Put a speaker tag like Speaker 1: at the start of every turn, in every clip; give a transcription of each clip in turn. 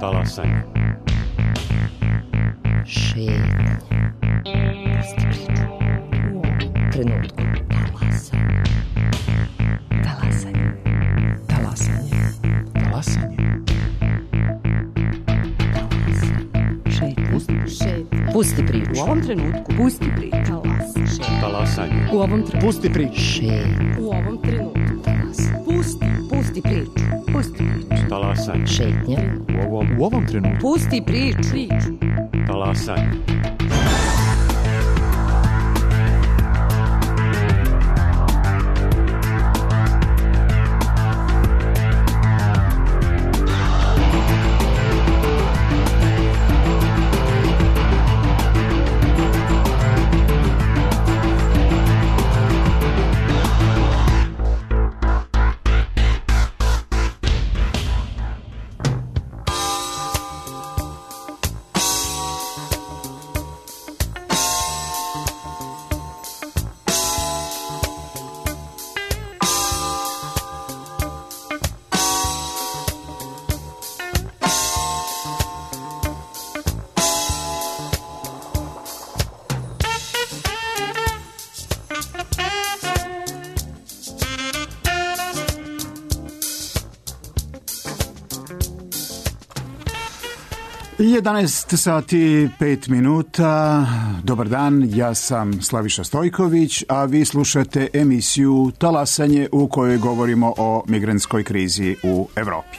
Speaker 1: Talasanje.
Speaker 2: Šetnje. Pusti priču. U ovom trenutku. Talasanje. Talasanje. Talasanje. Šetnje. Pusti priču. U ovom trenutku. Pusti priču.
Speaker 1: Talasanje.
Speaker 2: U ovom trenutku.
Speaker 3: Pusti priču.
Speaker 2: Šetnje. U ovom trenutku. Pusti priču. Pusti priču.
Speaker 1: Talasanje.
Speaker 2: Šetnje.
Speaker 1: U ovom trenutku.
Speaker 2: Pusti priču.
Speaker 1: Talasanje.
Speaker 3: I 11 sati 5 minuta. Dobar dan, ja sam Slaviša Stojković, a vi slušate emisiju Talasanje u kojoj govorimo o migrantskoj krizi u Evropi.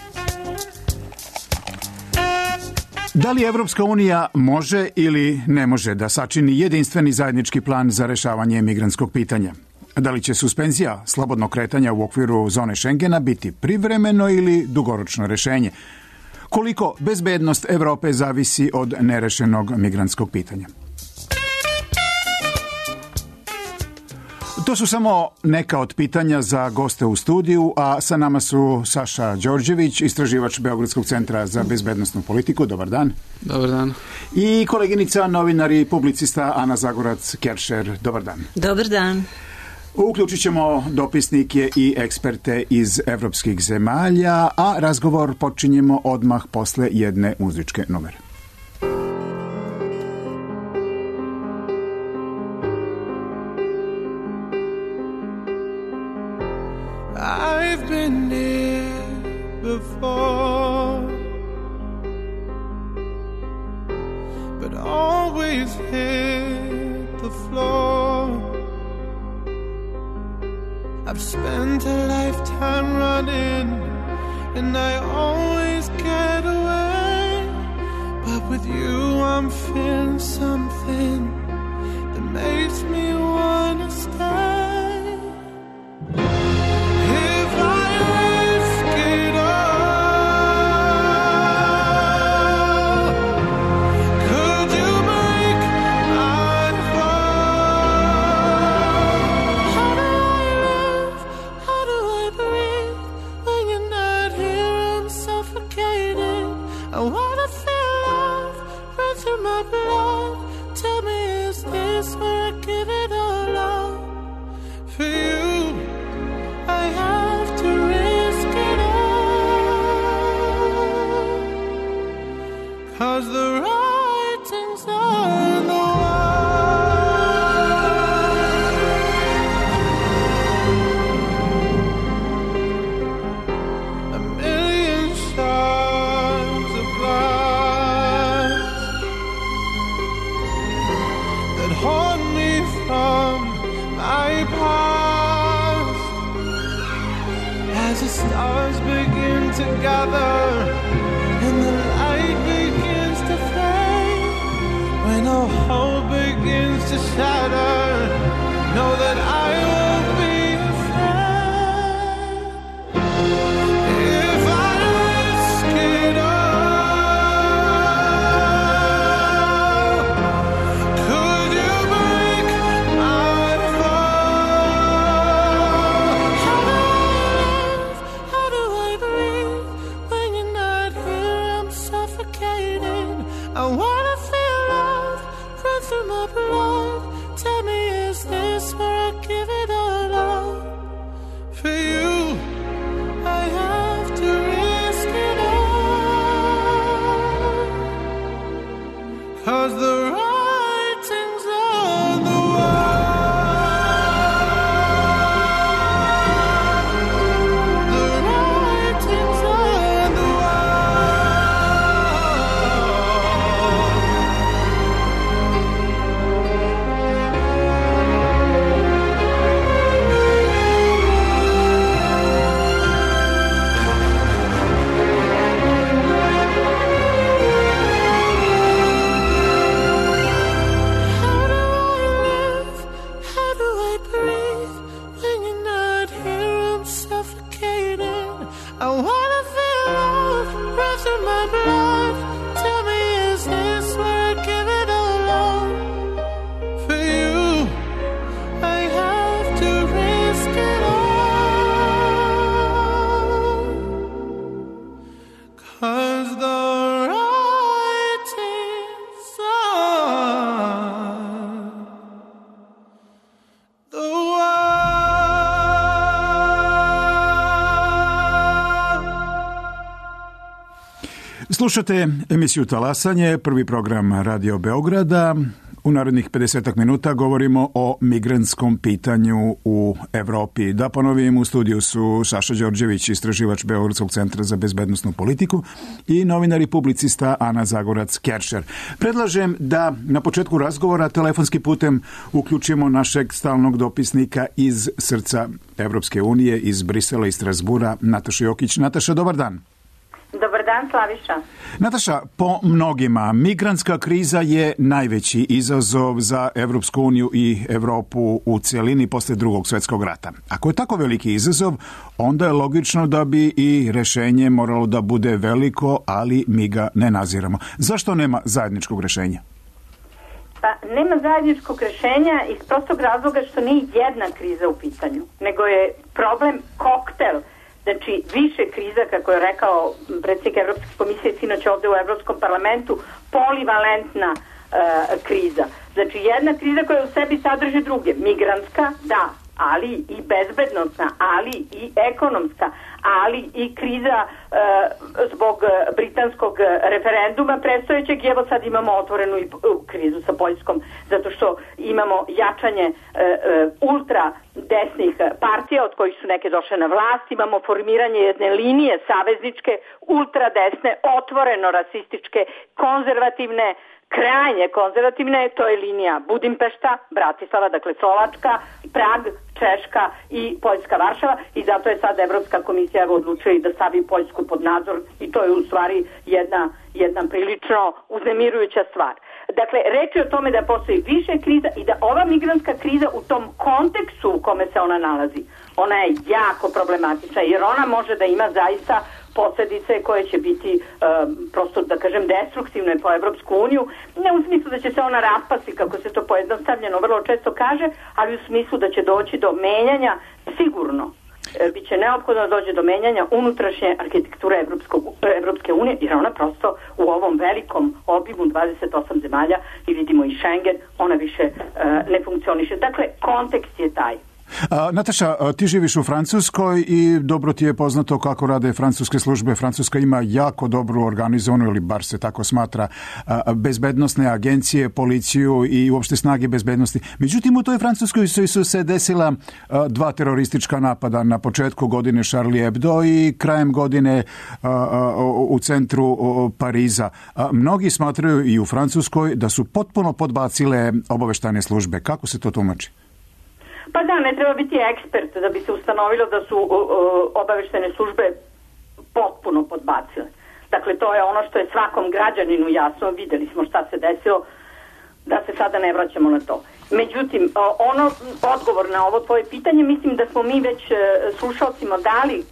Speaker 3: Da li Evropska unija može ili ne može da sačini jedinstveni zajednički plan za rešavanje migrantskog pitanja? Da li će suspenzija slobodnog kretanja u okviru zone Schengena biti privremeno ili dugoročno rešenje? Koliko bezbednost Evrope zavisi od nerešenog migrantskog pitanja? To su samo neka od pitanja za goste u studiju, a sa nama su Saša Đorđević, istraživač Beogradskog centra za bezbednosnu politiku. Dobar dan.
Speaker 4: Dobar dan.
Speaker 3: I koleginica, novinar i publicista Ana Zagorac-Keršer. Dobar dan.
Speaker 5: Dobar dan.
Speaker 3: Uključit ćemo dopisnike i eksperte iz evropskih zemalja, a razgovor počinjemo odmah posle jedne muzičke numere.
Speaker 6: I've been here before, but always hit the floor. I've spent a lifetime running, and I always get away. But with you I'm feeling something that makes me wanna stay. If I risk it all, could you make my fall? How do I live? How do I breathe? When you're not here I'm suffocating. I wanna feel love run through my blood. Tell me, is this where I give it all up? For you I have to risk it all, 'cause the writing's on the wall. A million shards of glass that haunt me from my past. As the stars begin to gather and the light begins to fade, when all hope begins to shatter, know that I won't be afraid. If I risk it all, could you break my fall? How do I live? How do I breathe? When you're not here I'm suffocating. I wanna feel love run through my blood. Tell me, is this where I give through my blood. Tell me, is this where I give it all up? For you, I have to risk it all. 'Cause the writing's on the wall.
Speaker 3: Slušate emisiju Talasanje, prvi program Radio Beograda. U narednih 50 minuta govorimo o migrantskom pitanju u Evropi. Da ponovim, u studiju su Saša Đorđević, istraživač Beogradskog centra za bezbednosnu politiku, i novinar i publicista Ana Zagorac-Keršer. Predlažem da na početku razgovora telefonski putem uključimo našeg stalnog dopisnika iz srca Evropske unije, iz Brisela i Strasbura, Natašu Jokić. Nataša, dobar dan.
Speaker 4: Dobar dan, Slaviša.
Speaker 3: Nataša, po mnogima migrantska kriza je najveći izazov za Evropsku uniju i Evropu u celini posle Drugog svjetskog rata. Ako je tako veliki izazov, onda je logično da bi i rešenje moralo da bude veliko, ali mi ga ne naziramo. Zašto nema zajedničkog rešenja?
Speaker 4: Pa nema zajedničkog rešenja iz prostog razloga što nije jedna kriza u pitanju, nego je problem koktel. Znači, više kriza, kako je rekao predsjednik Evropske komisije sinoć ovde u Evropskom parlamentu, polivalentna kriza. Znači, jedna kriza koja u sebi sadrži druge. Migrantska, da, ali i bezbednostna, ali i ekonomska, ali i kriza zbog britanskog referenduma predstojećeg. I evo sad imamo otvorenu i krizu sa Poljskom, zato što imamo jačanje ultra desnih partija, od kojih su neke došle na vlast. Imamo formiranje jedne linije savezničke, ultra desne, otvoreno rasističke, konzervativne, krajnje konzervativne, to je linija Budimpešta, Bratislava, dakle Slovačka, Prag, Češka i Poljska, Varšava, i zato je sad Evropska komisija odlučila da stavi Poljsku pod nadzor, i to je u stvari jedna prilično uznemirujuća stvar. Dakle, reč je o tome da postoji više kriza i da ova migrantska kriza u tom kontekstu u kome se ona nalazi, ona je jako problematična, jer ona može da ima zaista posljedice koje će biti prosto, da kažem, destruktivne po Evropsku uniju, ne u smislu da će se ona raspasti, kako se to pojednostavljeno vrlo često kaže, ali u smislu da će doći do menjanja, sigurno biće neophodno da dođe do menjanja unutrašnje arhitekture Evropske unije, jer ona prosto u ovom velikom obimu 28 zemalja, i vidimo i Schengen, ona više ne funkcioniše. Dakle, kontekst je taj.
Speaker 3: Nataša, ti živiš u Francuskoj i dobro ti je poznato kako rade francuske službe. Francuska ima jako dobro organizovanu, ili bar se tako smatra, bezbednosne agencije, policiju i uopšte snage bezbednosti. Međutim, u toj Francuskoj su se desila dva teroristička napada, na početku godine Charlie Hebdo i krajem godine u centru Pariza. Mnogi smatraju i u Francuskoj da su potpuno podbacile obaveštajne službe. Kako se to tumači?
Speaker 4: Pa da, ne treba biti ekspert da bi se ustanovilo da su obaveštajne službe potpuno podbacile. Dakle, to je ono što je svakom građaninu jasno, videli smo šta se desilo, da se sada ne vraćamo na to. Međutim, odgovor na ovo tvoje pitanje, mislim da smo mi već slušalcima dali,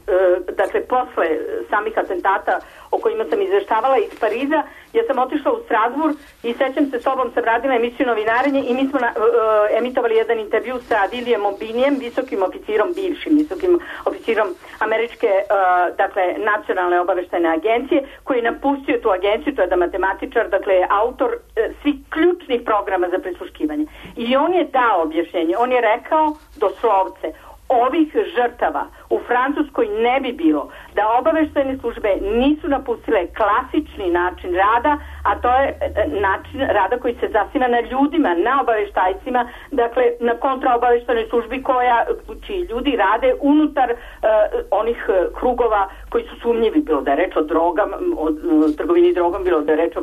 Speaker 4: dakle, posle samih atentata o kojima sam izveštavala iz Pariza, ja sam otišla u Strasbourg i sećam se, s tobom sam radila emisiju Novinarenje i mi smo emitovali jedan intervju sa William O'Binijem, visokim oficirom, bivšim visokim oficirom američke, dakle, nacionalne obaveštajne agencije, koji je napustio tu agenciju, to je da matematičar, dakle, autor svih ključnih programa za prisluškivanje. I on je dao objašnjenje, on je rekao doslovce, ovih žrtava u Francuskoj ne bi bilo da obaveštajne službe nisu napustile klasični način rada, a to je način rada koji se zasniva na ljudima, na obaveštajcima, dakle na kontraobaveštajnoj službi čiji ljudi rade unutar onih krugova koji su sumnjivi, bilo da je reč o drogama, o trgovini drogom, bilo da je reč o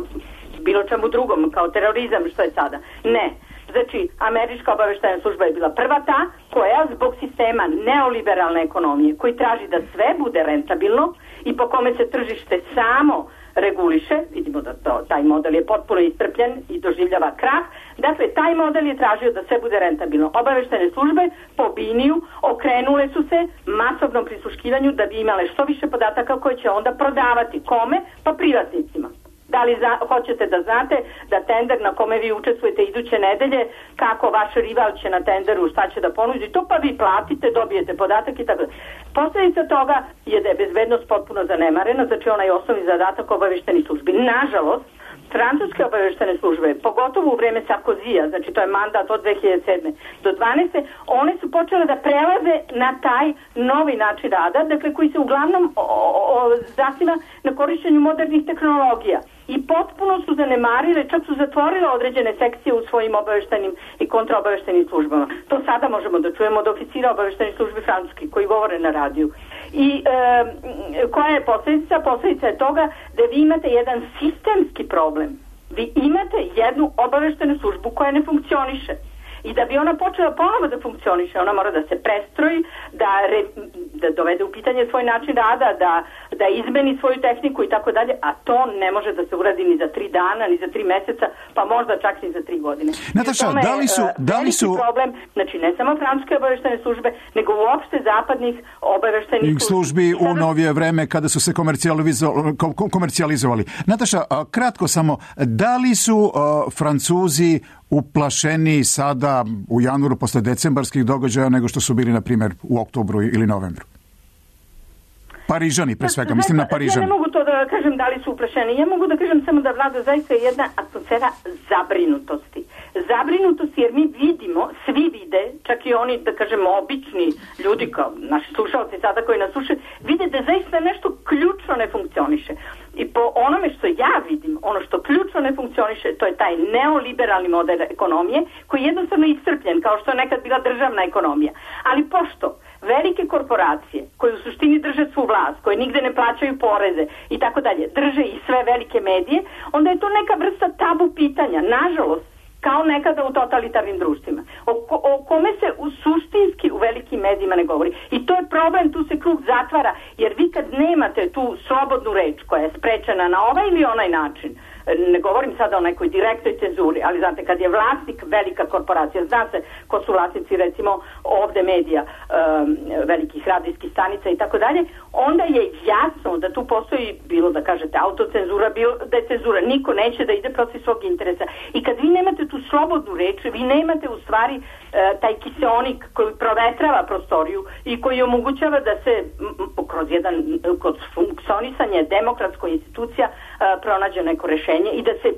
Speaker 4: bilo čemu drugom, kao terorizam, što je sada. Ne. Znači, američka obaveštajna služba je bila prva ta koja zbog sistema neoliberalne ekonomije, koji traži da sve bude rentabilno i po kome se tržište samo reguliše, vidimo da taj model je potpuno iscrpljen i doživljava krah, dakle, taj model je tražio da sve bude rentabilno. Obaveštajne službe po Biniju okrenule su se masovnom prisluškivanju da bi imale što više podataka koje će onda prodavati. Kome? Pa privatnicima. Da li hoćete da znate da tender na kome vi učestvujete iduće nedelje, kako vaš rival će na tenderu, šta će da ponudi, to pa vi platite, dobijete podatak i tako da. Posljedica toga je da je bezbednost potpuno zanemarena, znači onaj osnovni zadatak obaveštenih službi. Nažalost, francuske obaveštene službe, pogotovo u vreme Sarkozija, znači to je mandat od 2007. do 2012. one su počele da prelaze na taj novi način rada, dakle koji se uglavnom zasniva na korišćenju modernih tehnologija. I potpuno su zanemarile, čak su zatvorile određene sekcije u svojim obaveštenim i kontraobaveštenim službama. To sada možemo da čujemo od oficira obaveštenih službi francuskih koji govore na radiju. I koja je posljedica? Posljedica je toga da vi imate jedan sistemski problem. Vi imate jednu obaveštenu službu koja ne funkcioniše. I da bi ona počela ponovo da funkcioniše, ona mora da se prestroji, da dovede u pitanje svoj način rada, da izmeni svoju tehniku i tako dalje, a to ne može da se uradi ni za 3 dana, ni za 3 meseca, pa možda čak ni za 3 godine.
Speaker 3: Nataša, da li su
Speaker 4: problem, znači ne samo francuske obaveštene službe, nego uopšte zapadnih obaveštenih
Speaker 3: službi u novije vreme kada su se komercijalizovali. Nataša, kratko samo, da li su Francuzi uplašeni sada u januaru posle decembarskih događaja nego što su bili, na primjer, u oktobru ili novembru? Parižani, pre svega, mislim na Parižani.
Speaker 4: Ja ne mogu to da kažem da li su uplašeni. Ja mogu da kažem samo da vlada zaista jedna atmosfera zabrinutosti. Zabrinutosti jer mi vidimo, svi vide, čak i oni, da kažemo, obični ljudi kao naši slušalci sada koji nas slušaju, vide da zaista nešto ključno ne funkcioniše. I po onome što ja vidim, ono što ključno ne funkcioniše, to je taj neoliberalni model ekonomije koji je jednostavno iscrpljen, kao što je nekad bila državna ekonomija. Ali pošto velike korporacije koje u suštini drže svu vlast, koje nigde ne plaćaju poreze i tako dalje, drže i sve velike medije, onda je to neka vrsta tabu pitanja. Nažalost, kao nekada u totalitarnim društvima, o kome se suštinski u velikim medijima ne govori. I to je problem, tu se krug zatvara, jer vi kad nemate tu slobodnu reč koja je sprečena na ovaj ili onaj način, ne govorim sada o nekoj direktnoj cenzuri, ali znate, kad je vlasnik velika korporacija, zna se ko su vlasnici recimo ovde medija, velikih radijskih stanica i tako dalje, onda je jasno da tu postoji, bilo da kažete autocenzura, bilo da je cenzura, niko neće da ide protiv svog interesa. I kad vi nemate tu slobodnu reč, vi nemate u stvari taj kiseonik koji provetrava prostoriju i koji omogućava da se kroz funkcionisanje demokratskoj institucija pronađe neko rešenje i da se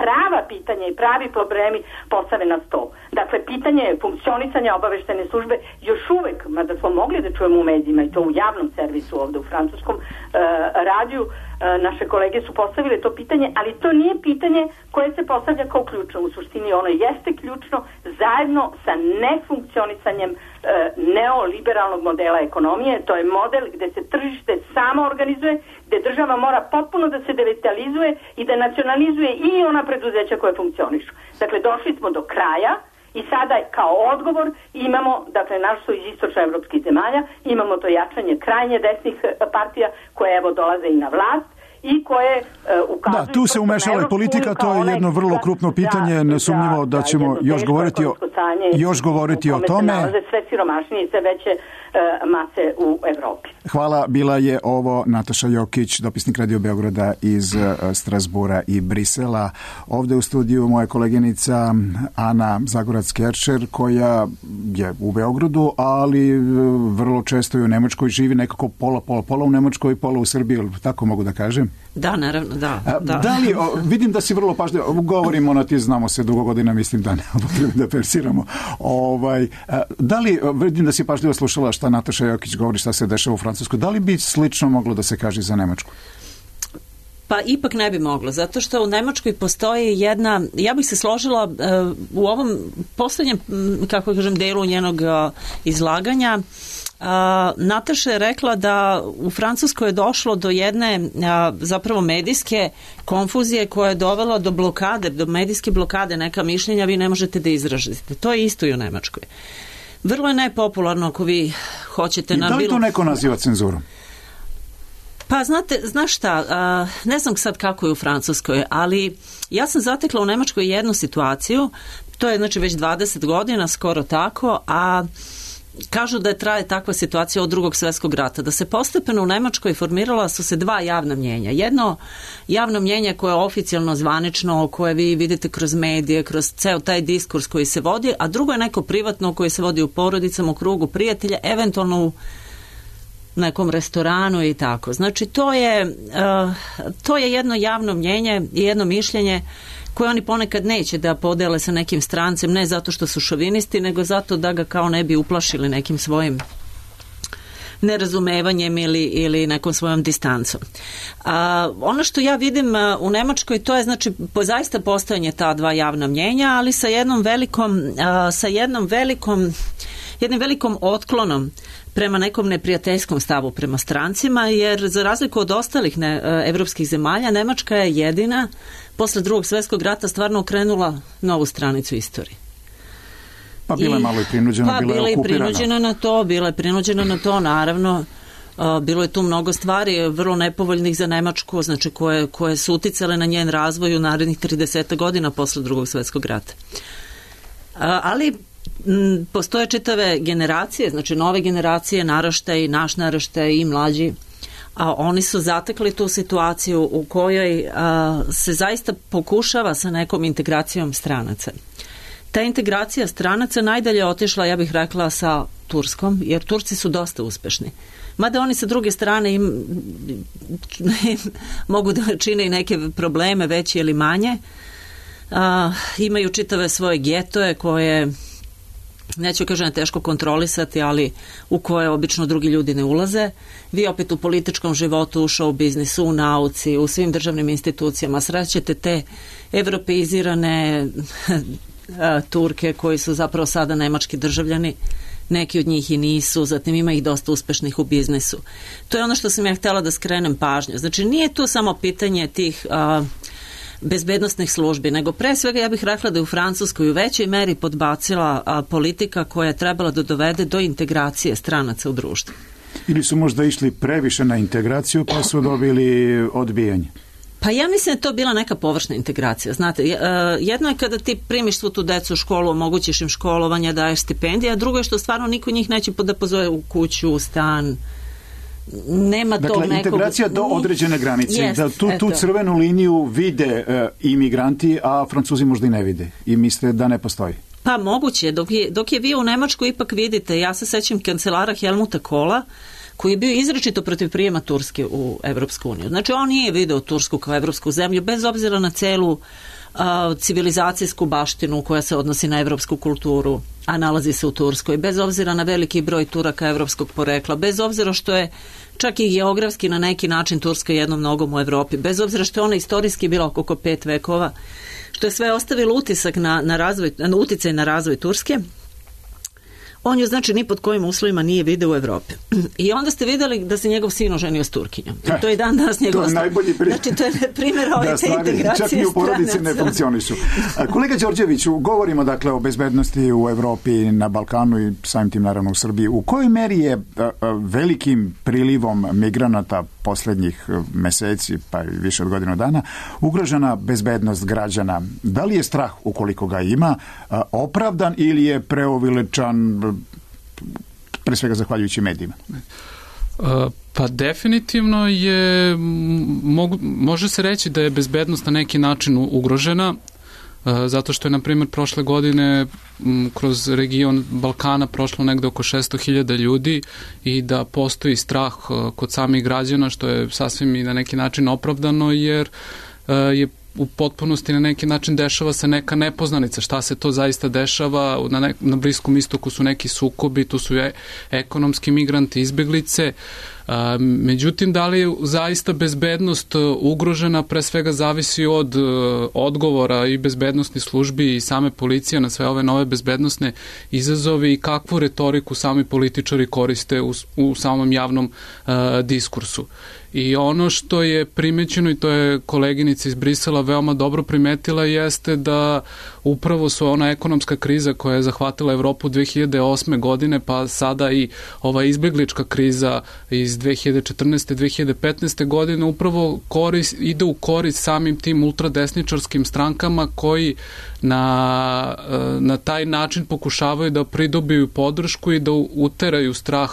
Speaker 4: prava pitanja i pravi problemi postave na stol. Dakle, pitanje funkcionisanja obaveštene službe još uvek, mada smo mogli da čujemo u medijima i to u javnom servisu ovde u francuskom radiju, naše kolege su postavile to pitanje, ali to nije pitanje koje se postavlja kao ključno. U suštini ono jeste ključno zajedno sa nefunkcionisanjem neoliberalnog modela ekonomije. To je model gde se tržište samo organizuje, gde država mora potpuno da se devitalizuje i da nacionalizuje i ona preduzeća koje funkcionišu. Dakle, došli smo do kraja i sada kao odgovor imamo, dakle, našto iz istočnoevropskih zemalja, imamo to jačanje krajnje desnih partija koje evo dolaze i na vlast i koje ukazuju...
Speaker 3: Da, tu se umešala i politika, to je jedno vrlo krupno pitanje, nesumnjivo da ćemo još govoriti o tome.
Speaker 4: Sve siromašnije i sve veće mase u Evropi.
Speaker 3: Hvala, bila je ovo Nataša Jokić, dopisnik Radio Beograda iz Strasbura i Brisela. Ovde u studiju moja koleginica Ana Zagorac-Kerčer, koja je u Beogradu, ali vrlo često i u Nemačkoj živi, nekako pola u Nemačkoj i pola u Srbiji, tako mogu da kažem?
Speaker 2: Da, naravno, da.
Speaker 3: Da li, vidim da si vrlo pažljivo, govorimo na ti, znamo se dugo godina, mislim da ne da persiramo. Da li, vidim da si pažljivo slušala šta Nataša Jokić govori, šta se dešava u Francuskoj, da li bi slično moglo da se kaže za Nemačku?
Speaker 2: Pa ipak ne bi moglo, zato što u Nemačkoj postoji jedna, ja bih se složila u ovom poslednjem, kako kažem, delu njenog izlaganja. Nataša je rekla da u Francuskoj je došlo do jedne zapravo medijske konfuzije koja je dovela do blokade, do medijske blokade, neka mišljenja vi ne možete da izražite. To je isto i u Nemačkoj. Vrlo je nepopularno ako vi hoćete...
Speaker 3: I da li to neko naziva cenzurom?
Speaker 2: Pa znaš šta, ne znam sad kako je u Francuskoj, ali ja sam zatekla u Nemačkoj jednu situaciju, to je znači već 20 godina, skoro tako, a kažu da je traje takva situacija od Drugog svjetskog rata, da se postepeno u Nemačkoj formirala su se dva javna mnjenja. Jedno javno mnjenje koje je oficijalno zvanično, koje vi vidite kroz medije, kroz ceo taj diskurs koji se vodi, a drugo je neko privatno koje se vodi u porodicama, u krugu prijatelja, eventualno u nekom restoranu i tako. Znači to je jedno javno mnjenje i jedno mišljenje koje oni ponekad neće da podele sa nekim strancem, ne zato što su šovinisti, nego zato da ga kao ne bi uplašili nekim svojim nerazumevanjem ili nekom svojom distancom. Ono što ja vidim u Nemačkoj, to je znači zaista postojanje ta dva javna mnjenja, ali sa jednim velikom otklonom prema nekom neprijateljskom stavu prema strancima, jer za razliku od ostalih evropskih zemalja, Nemačka je jedina posle Drugog svjetskog rata stvarno okrenula novu stranicu istorije.
Speaker 3: Pa bila je malo i prinuđena, bila je okupirana.
Speaker 2: Bila je prinuđena na to, naravno. Bilo je tu mnogo stvari vrlo nepovoljnih za Nemačku, znači koje su uticale na njen razvoj u narednih 30 godina posle Drugog svjetskog rata. Ali postoje čitave generacije, znači nove generacije, naraštaj, naš naraštaj i mlađi, a oni su zatekli tu situaciju u kojoj se zaista pokušava sa nekom integracijom stranaca. Ta integracija stranaca najdalje otišla, ja bih rekla, sa Turskom, jer Turci su dosta uspešni. Mada oni sa druge strane mogu da čine i neke probleme, veće ili manje. Imaju čitave svoje getoje koje, neću kažem teško kontrolisati, ali u koje obično drugi ljudi ne ulaze. Vi opet u političkom životu, u show biznisu, u nauci, u svim državnim institucijama srećete te evropeizirane Turke koji su zapravo sada nemački državljani. Neki od njih i nisu, zatim ima ih dosta uspešnih u biznisu. To je ono što sam ja htjela da skrenem pažnju. Znači nije to samo pitanje tih bezbednostnih službi, nego pre svega ja bih rekla da je u Francuskoj u većoj meri podbacila politika koja je trebala da dovede do integracije stranaca u društvu.
Speaker 3: Ili su možda išli previše na integraciju pa su dobili odbijanje?
Speaker 2: Pa ja mislim da je to bila neka površna integracija. Znate, jedno je kada ti primiš svu tu decu u školu, omogućiš im školovanje, daješ stipendije, a drugo je što stvarno niko njih neće da pozove u kuću, u stan. Nema tog nekog...
Speaker 3: Dakle, integracija do određene granice. Da tu crvenu liniju vide imigranti, a Francuzi možda i ne vide i misle da ne postoji.
Speaker 2: Pa moguće. Dok je vi u Nemačkoj ipak vidite, ja se sećam kancelara Helmuta Kohla, koji je bio izričito protiv prijema Turske u Evropsku uniju. Znači, on nije video Tursku kao evropsku zemlju, bez obzira na celu civilizacijsku baštinu koja se odnosi na evropsku kulturu, a nalazi se u Turskoj, bez obzira na veliki broj Turaka evropskog porekla, bez obzira što je čak i geografski na neki način Turska jednom nogom u Evropi, bez obzira što je ona istorijski bila oko 5 vekova, što je sve ostavilo utisak na uticaj na razvoj Turske. On ju znači ni pod kojim uslovima nije video u Evropi. I onda ste vidjeli da se njegov sin oženio s Turkinjom. To je dan danas njegov.
Speaker 3: To je najbolji primjer.
Speaker 2: Znači to je primjer ove te integracije.
Speaker 3: Čak i u porodici ne funkcionišu. Kolega Đorđeviću, govorimo dakle o bezbednosti u Evropi, na Balkanu i samim tim naravno u Srbiji. U kojoj meri je velikim prilivom migranata poslednjih meseci, pa i više od godinu dana, ugrožena bezbednost građana? Da li je strah, ukoliko ga ima, opravdan ili je preuveličan, pre svega zahvaljujući medijima?
Speaker 5: Pa definitivno je, može se reći da je bezbednost na neki način ugrožena, zato što je, na primjer, prošle godine kroz region Balkana prošlo negde oko 600.000 ljudi i da postoji strah kod samih građana, što je sasvim i na neki način opravdano, jer je u potpunosti na neki način dešava se neka nepoznanica. Šta se to zaista dešava? Na Bliskom istoku su neki sukobi, tu su ekonomski migranti, izbeglice. Međutim, da li je zaista bezbednost ugrožena, pre svega zavisi od odgovora i bezbednosnih službi i same policije na sve ove nove bezbednosne izazove i kakvu retoriku sami političari koriste u samom javnom diskursu. I ono što je primećeno, i to je koleginica iz Brisela veoma dobro primetila, jeste da upravo su ona ekonomska kriza koja je zahvatila Evropu 2008. godine, pa sada i ova izbeglička kriza iz iz 2014. 2015. godine upravo ide u korist samim tim ultradesničarskim strankama koji na taj način pokušavaju da pridobiju podršku i da uteraju strah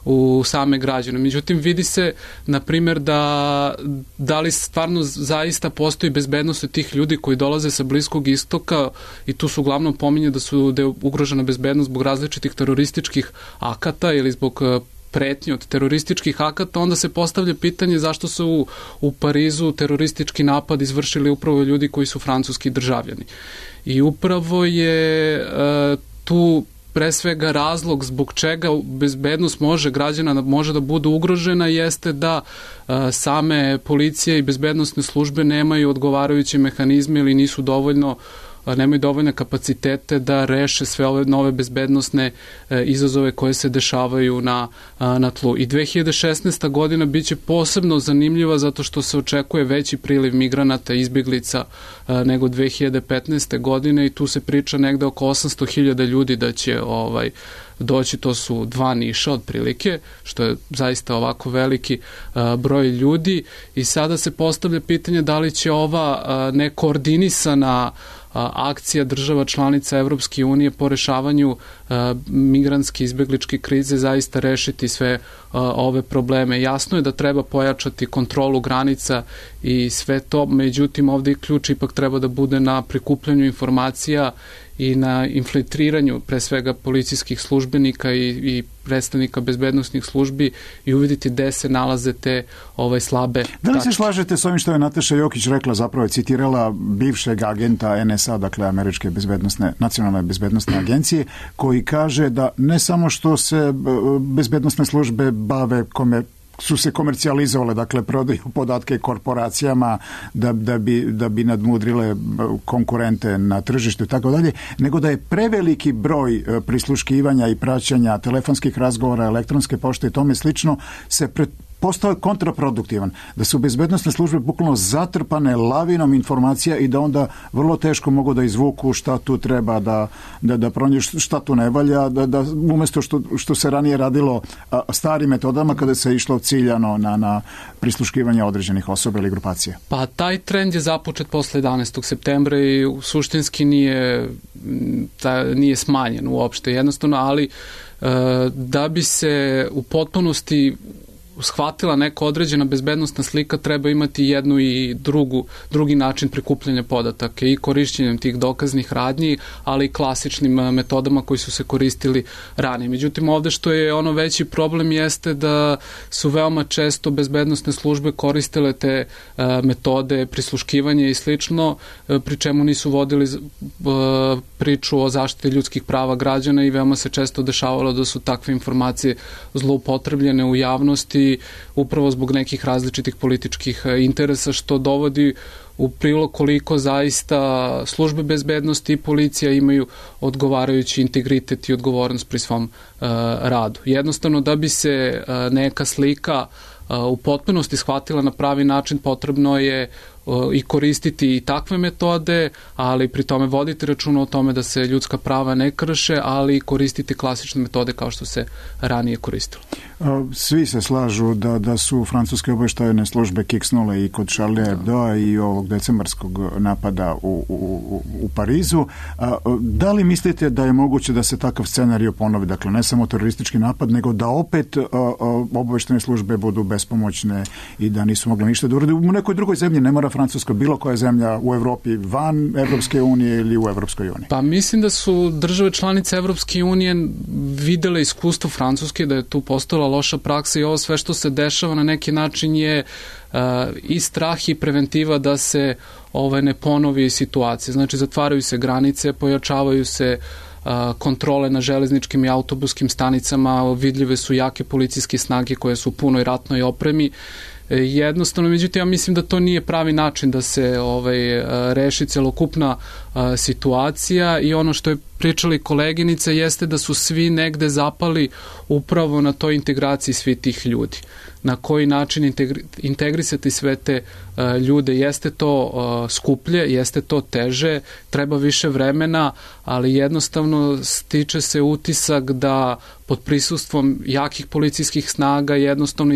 Speaker 5: u same građane. Međutim, vidi se, na primjer, da li stvarno zaista postoji bezbednost tih ljudi koji dolaze sa Bliskog istoka i tu su uglavnom pominje da je ugrožena bezbednost zbog različitih terorističkih akata ili zbog pretnje od terorističkih akata, onda se postavlja pitanje zašto su u Parizu teroristički napad izvršili upravo ljudi koji su francuski državljani. I upravo je tu pre svega razlog zbog čega bezbednost građana može da bude ugrožena jeste da same policije i bezbednosne službe nemaju odgovarajuće mehanizme ili nemaju dovoljne kapacitete da reše sve ove nove bezbednosne izazove koje se dešavaju na tlu. I 2016. godina biće posebno zanimljiva zato što se očekuje veći priliv migranata i izbjeglica nego 2015. godine i tu se priča negde oko 800.000 ljudi da će doći, to su 2 Niša otprilike, što je zaista ovako veliki broj ljudi i sada se postavlja pitanje da li će ova nekoordinisana akcija država članica Evropske unije po rešavanju migrantske izbegličke krize zaista rešiti sve ove probleme. Jasno je da treba pojačati kontrolu granica i sve to, međutim ovdje ključ ipak treba da bude na prikupljanju informacija i na infiltriranju pre svega policijskih službenika i predstavnika bezbednosnih službi i uviditi gde se nalaze te slabe tačke.
Speaker 3: Da li se slažete s ovim što je Nataša Jokić rekla, zapravo je citirala bivšeg agenta NSA, dakle Američke nacionalne bezbednosne agencije, koji kaže da ne samo što se bezbednosne službe su se komercijalizovale, dakle prodaju podatke korporacijama da bi nadmudrile konkurente na tržištu i tako dalje, nego da je preveliki broj prisluškivanja i praćanja telefonskih razgovora, elektronske pošte i tome slično postao kontraproduktivan, da su bezbednosne službe bukvalno zatrpane lavinom informacija i da onda vrlo teško mogu da izvuku šta tu treba da pronađu, šta tu ne valja, da umjesto što se ranije radilo starim metodama kada se išlo ciljano na prisluškivanje određenih osoba ili grupacija.
Speaker 5: Pa taj trend je započet posle 11. septembra i suštinski nije smanjen uopšte jednostavno, ali da bi se u potpunosti shvatila neka određena bezbednostna slika, treba imati jednu i drugi način prikupljanja podataka i korišćenjem tih dokaznih radnji, ali i klasičnim metodama koji su se koristili ranije. Međutim, ovde što je veći problem jeste da su veoma često bezbednosne službe koristile te metode prisluškivanja i slično, pri čemu nisu vodili priču o zaštiti ljudskih prava građana i veoma se često dešavalo da su takve informacije zloupotrebljene u javnosti upravo zbog nekih različitih političkih interesa, što dovodi u prilog koliko zaista službe bezbednosti i policija imaju odgovarajući integritet i odgovornost pri svom radu. Jednostavno, da bi se neka slika u potpunosti shvatila na pravi način, potrebno je i koristiti i takve metode, ali pri tome voditi računa o tome da se ljudska prava ne krše, ali i koristiti klasične metode kao što se ranije koristilo.
Speaker 3: Svi se slažu da su francuske obaveštajne službe kiksnule i kod Charlie Hebdo i ovog decembarskog napada u Parizu. Da li mislite da je moguće da se takav scenarij ponovi? Dakle, ne samo teroristički napad, nego da opet obaveštajne službe budu bespomoćne i da nisu mogli ništa da urade u nekoj drugoj zemlji, ne mora Francuska, bilo koja zemlja u Evropi, van Evropske unije ili u Evropskoj uniji? Pa
Speaker 5: mislim da su države članice Evropske unije videle iskustvo Francuske, da je tu postala loša praksa i ovo sve što se dešava na neki način je i strah i preventiva da se ne ponovi situacija. Znači, zatvaraju se granice, pojačavaju se kontrole na železničkim i autobuskim stanicama, vidljive su jake policijske snage koje su u punoj ratnoj opremi. Jednostavno, međutim, ja mislim da to nije pravi način da se reši celokupna situacija i ono što je pričali koleginice jeste da su svi negde zapali upravo na toj integraciji svih tih ljudi. Na koji način integrisati sve te ljude, jeste to skuplje, jeste to teže, treba više vremena, ali jednostavno stiče se utisak da pod prisustvom jakih policijskih snaga jednostavno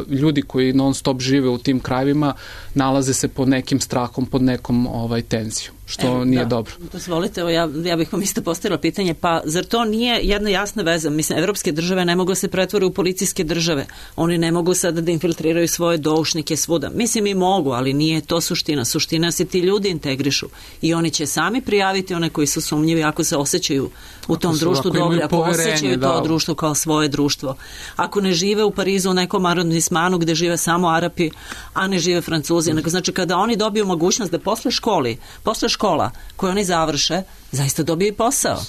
Speaker 5: ljudi koji non stop žive u tim krajevima nalaze se pod nekim strahom, pod nekom tenzijom, što nije dobro.
Speaker 2: Dozvolite, ja bih vam isto postavila pitanje, pa zar to nije jedna jasna veza? Mislim, evropske države ne mogu se pretvore u policijske države. Oni ne mogu sada da infiltriraju svoje doušnike svuda. Mislim, i mogu, ali nije to suština. Suština se ti ljudi integrišu i oni će sami prijaviti one koji su sumnjivi ako se osjećaju u tom društvu dobro, ako osjećaju to društvo kao svoje društvo. Ako ne žive u Parizu u nekom arondismanu gde žive samo Arapi, a ne žive Francuzi, nego znači kada oni dobiju mogućnost da posle škola koje oni završe, zaista dobiju i posao,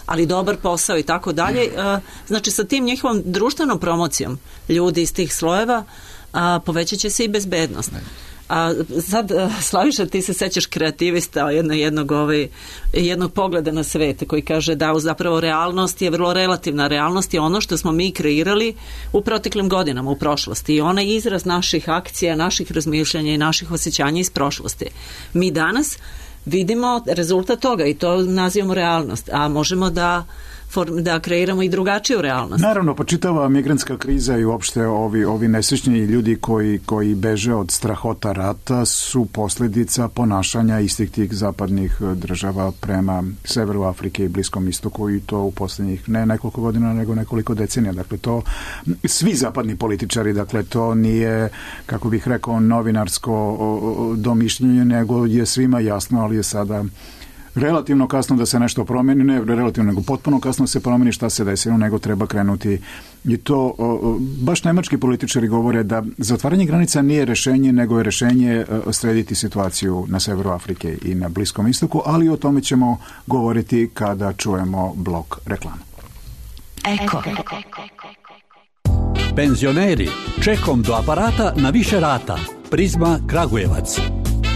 Speaker 2: ali dobar posao i tako dalje. Znači sa tim njihovom društvenom promocijom ljudi iz tih slojeva povećat će se i bezbednost. A sad, Slaviša, ti se sećaš kreativista jednog pogleda na svet koji kaže da zapravo realnost je vrlo relativna. Realnost je ono što smo mi kreirali u proteklim godinama, u prošlosti, i ona je izraz naših akcija, naših razmišljanja i naših osjećanja iz prošlosti. Mi danas vidimo rezultat toga i to nazivamo realnost, a možemo da kreiramo i drugačiju realnost.
Speaker 3: Naravno, pa čitava migrantska kriza i uopšte ovi nesrećni ljudi koji beže od strahota rata su posljedica ponašanja istih tih zapadnih država prema severu Afrike i Bliskom istoku, i to u posljednjih ne nekoliko godina, nego nekoliko decenija. Dakle, to svi zapadni političari, dakle, to nije, kako bih rekao, novinarsko domišljenje, nego je svima jasno, ali je sada relativno kasno da se nešto promeni, ne relativno, nego potpuno kasno se promeni šta se desilo, nego treba krenuti. I to baš nemački političari govore da zatvaranje granica nije rešenje, nego je rešenje srediti situaciju na severu Afrike i na Bliskom istoku, ali o tome ćemo govoriti kada čujemo blok reklama.
Speaker 7: Eko.
Speaker 8: Penzioneri, čekom do aparata na više rata. Prizma Kragujevac.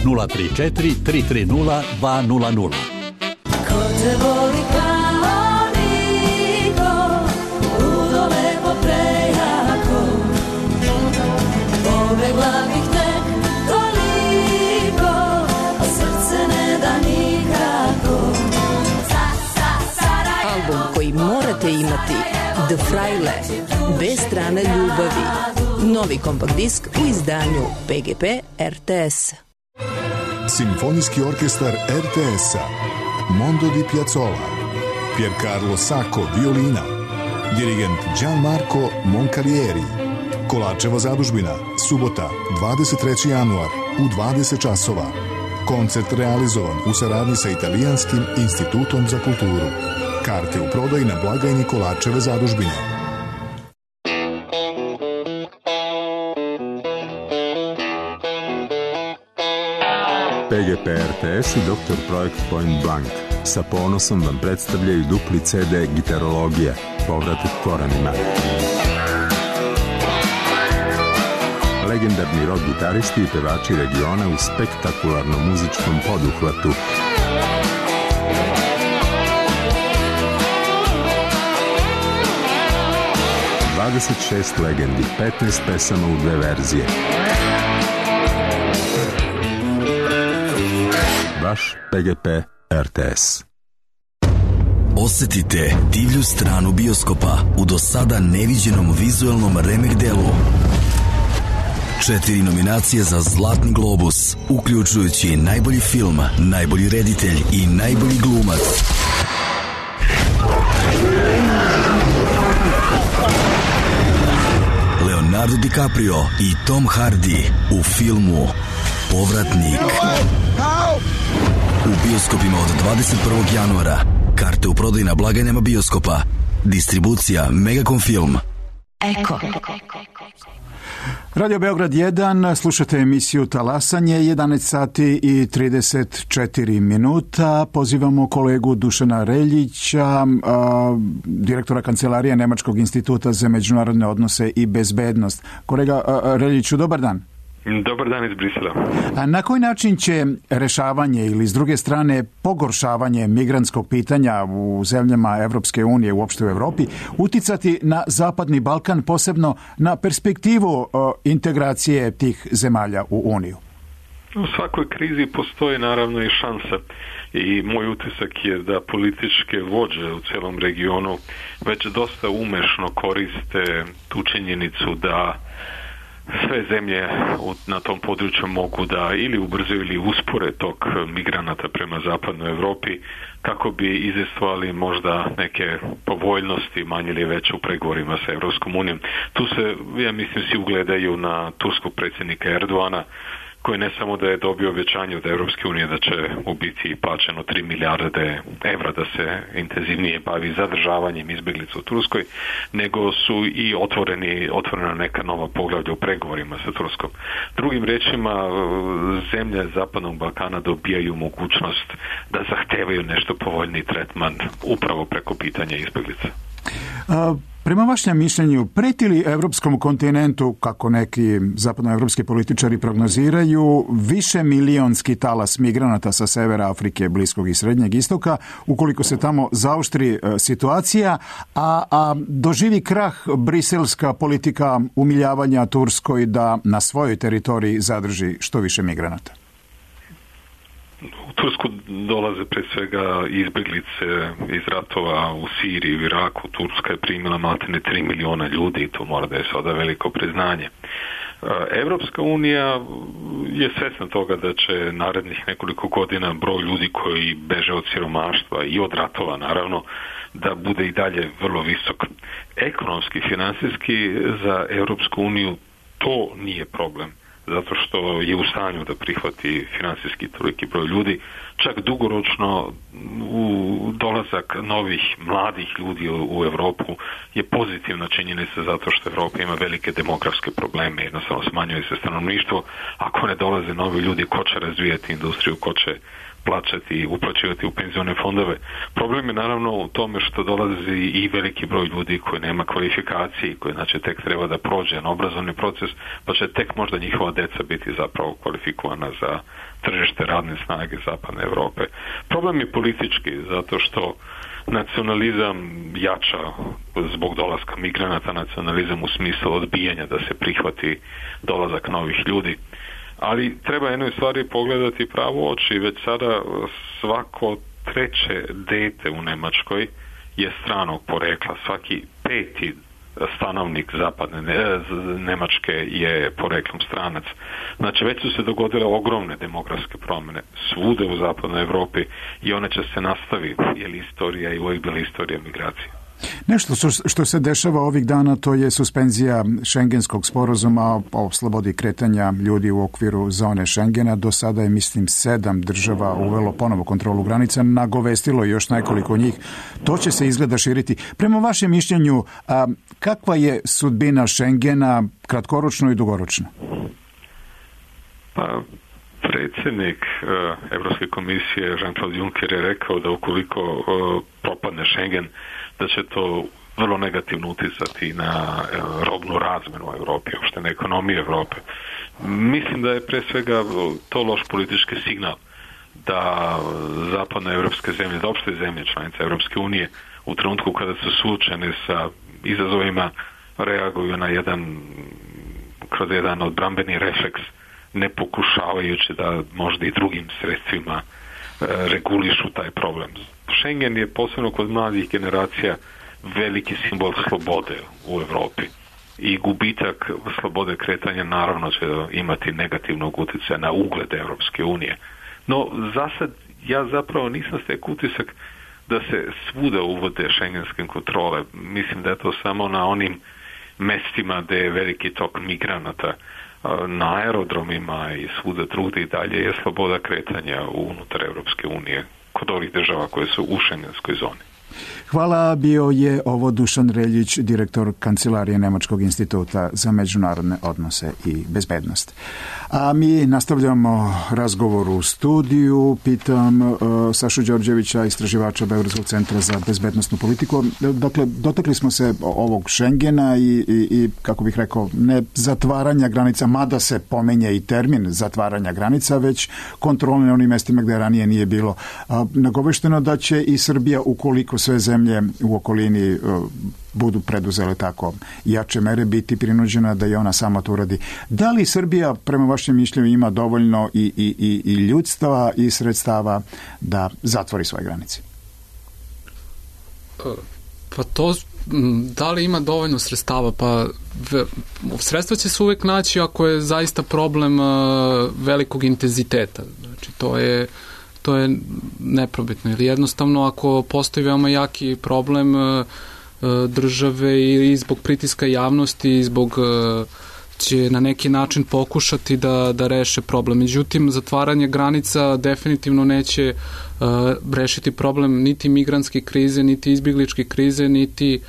Speaker 8: 034 330 200.
Speaker 7: Ko te voli kao niko, ludo lepo prejako, pobegla bih tek toliko, a srce ne da nikako. Album koji morate imati, The Fraile, bez strane ljubavi. Novi kompakt disk u izdanju PGP RTS.
Speaker 9: Simfonijski orkestar RTS-a, Mondo di Piazzolla, Piercarlo Sacco, violina, dirigent Gianmarco Moncalieri. Kolačeva zadužbina, subota, 23. januar, u 20 časova. Koncert realizovan u saradnji sa Italijanskim institutom za kulturu. Karte u prodaji na blagajni Kolačeve zadužbine.
Speaker 10: PGP RTS i Dr. Projekt Point Blank sa ponosom vam predstavljaju dupli CD Gitarologija, povratak korenima. Legendarni rock gitaristi i pevači regiona u spektakularnom muzičkom poduhvatu. ...26 legendi, 15 pesama u 2 verzije. Vaš PGP RTS.
Speaker 11: Osetite divlju stranu bioskopa u do sada neviđenom vizuelnom remek delu. 4 nominacije za Zlatni globus, uključujući najbolji film, najbolji reditelj i najbolji glumac. Leonardo DiCaprio i Tom Hardy u filmu Povratnik. U bioskopima od 21. januara. Karte u prodaji na blagajnama bioskopa. Distribucija Megacom Film.
Speaker 7: Eko.
Speaker 3: Radio Beograd 1, slušate emisiju Talasanje, 11 sati i 34 minuta. Pozivamo kolegu Dušana Reljića, direktora kancelarije Nemačkog instituta za međunarodne odnose i bezbednost. Kolega Reljiću, dobar dan.
Speaker 12: Dobar dan iz Brisela.
Speaker 3: A na koji način će rešavanje ili s druge strane pogoršavanje migrantskog pitanja u zemljama Evropske unije, uopšte u Evropi, uticati na Zapadni Balkan, posebno na perspektivu integracije tih zemalja u Uniju?
Speaker 12: U svakoj krizi postoji naravno i šansa i moj utisak je da političke vođe u celom regionu već dosta umešno koriste tu činjenicu da sve zemlje na tom području mogu da ili ubrzaju ili uspore tok migranata prema zapadnoj Evropi kako bi izistovali možda neke povoljnosti manje ili veće u pregovorima sa Evropskom unijom. Tu se, ja mislim, svi ugledaju na turskog predsjednika Erdoana, koji ne samo da je dobio obećanje od Evropske unije da će u biti plaćeno 3 milijarde evra da se intenzivnije bavi zadržavanjem izbjeglica u Turskoj, nego su i otvorena neka nova poglavlja u pregovorima sa Turskom. Drugim rečima, zemlje Zapadnog Balkana dobijaju mogućnost da zahtevaju nešto povoljniji tretman upravo preko pitanja izbjeglica.
Speaker 3: Prema vašem mišljenju, preti li evropskom kontinentu, kako neki zapadnoevropski političari prognoziraju, više milionski talas migranata sa severa Afrike, Bliskog i Srednjeg istoka, ukoliko se tamo zaoštri situacija, a doživi krah briselska politika umiljavanja Turskoj da na svojoj teritoriji zadrži što više migranata?
Speaker 12: U Tursku dolaze pre svega izbjeglice iz ratova u Siriji, u Iraku. Turska je primila maltene 3 miliona ljudi i to mora da je sada veliko priznanje. Evropska unija je svesna toga da će narednih nekoliko godina broj ljudi koji beže od siromaštva i od ratova naravno da bude i dalje vrlo visok. Ekonomski, finansijski za Evropsku uniju to nije problem, zato što je u stanju da prihvati finansijski toliki broj ljudi. Čak dugoročno dolazak novih mladih ljudi u Evropu je pozitivna činjenica zato što Evropa ima velike demografske probleme, jednostavno smanjuje se stanovništvo. Ako ne dolaze novi ljudi, ko će razvijati industriju, ko će plaćati i uplaćivati u penzione fondove. Problem je naravno u tome što dolazi i veliki broj ljudi koji nema kvalifikacije, koji znači tek treba da prođe na obrazovni proces, pa će tek možda njihova deca biti zapravo kvalifikovana za tržište radne snage Zapadne Evrope. Problem je politički, zato što nacionalizam jača zbog dolaska migranata, nacionalizam u smislu odbijanja da se prihvati dolazak novih ljudi. Ali treba jednoj stvari pogledati pravo oči. Već sada svako treće dete u Nemačkoj je stranog porekla. Svaki peti stanovnik zapadne Nemačke je poreklom stranac. Znači već su se dogodile ogromne demografske promjene svude u zapadnoj Evropi i one će se nastaviti, jer istorija i uvijek bila istorija migracije.
Speaker 3: Nešto što se dešava ovih dana, to je suspenzija šengenskog sporazuma o slobodi kretanja ljudi u okviru zone Šengena. Do sada je, mislim, 7 država uvelo ponovo kontrolu granica, nagovestilo još nekoliko njih. To će se izgleda širiti. Prema vašem mišljenju, kakva je sudbina Šengena kratkoročno i dugoročno?
Speaker 12: Pa, predsjednik Evropske komisije Jean-Claude Juncker je rekao da ukoliko propadne Schengen, da će to vrlo negativno uticati na robnu razmenu u Evropi, uopšte na ekonomiju Evrope. Mislim da je pre svega to loš politički signal da zapadne evropske zemlje, da opšte zemlje članice Evropske unije u trenutku kada su suočene sa izazovima reaguju na kroz jedan odbrambeni refleks, ne pokušavajući da možda i drugim sredstvima regulišu taj problem. Schengen je posebno kod mladih generacija veliki simbol slobode u Evropi i gubitak slobode kretanja naravno će imati negativnog utjecaja na ugled Evropske unije. No, zasad ja zapravo nisam stekao utisak da se svuda uvode šengenske kontrole. Mislim da je to samo na onim mestima gdje je veliki tok migranata. Na aerodromima i svuda drugdje i dalje je sloboda kretanja unutar Evropske unije kod ovih država koje su u šengenskoj zoni.
Speaker 3: Hvala, bio je ovo Dušan Reljić, direktor Kancelarije Nemačkog instituta za međunarodne odnose i bezbednost. A mi nastavljamo razgovor u studiju. Pitam Sašu Đorđevića, istraživača Beogradskog centra za bezbednostnu politiku. Dakle, dotakli smo se ovog Schengena i kako bih rekao, ne zatvaranja granica, mada se pomenja i termin zatvaranja granica, već kontrole na onim mestima gdje ranije nije bilo. Nagovešteno da će i Srbija, ukoliko sve zemlje u okolini budu preduzele tako jače mere, biti prinuđena da i ona sama to uradi. Da li Srbija, prema vašem mišljenju, ima dovoljno i ljudstva i sredstava da zatvori svoje granice?
Speaker 5: Pa to, da li ima dovoljno sredstava? Pa sredstva će se uvek naći ako je zaista problem velikog intenziteta. Znači, to je neprobitno. Ili jednostavno, ako postoji veoma jaki problem države i zbog pritiska javnosti i zbog će na neki način pokušati da reše problem. Međutim, zatvaranje granica definitivno neće rešiti problem niti migrantske krize, niti izbjegličke krize, niti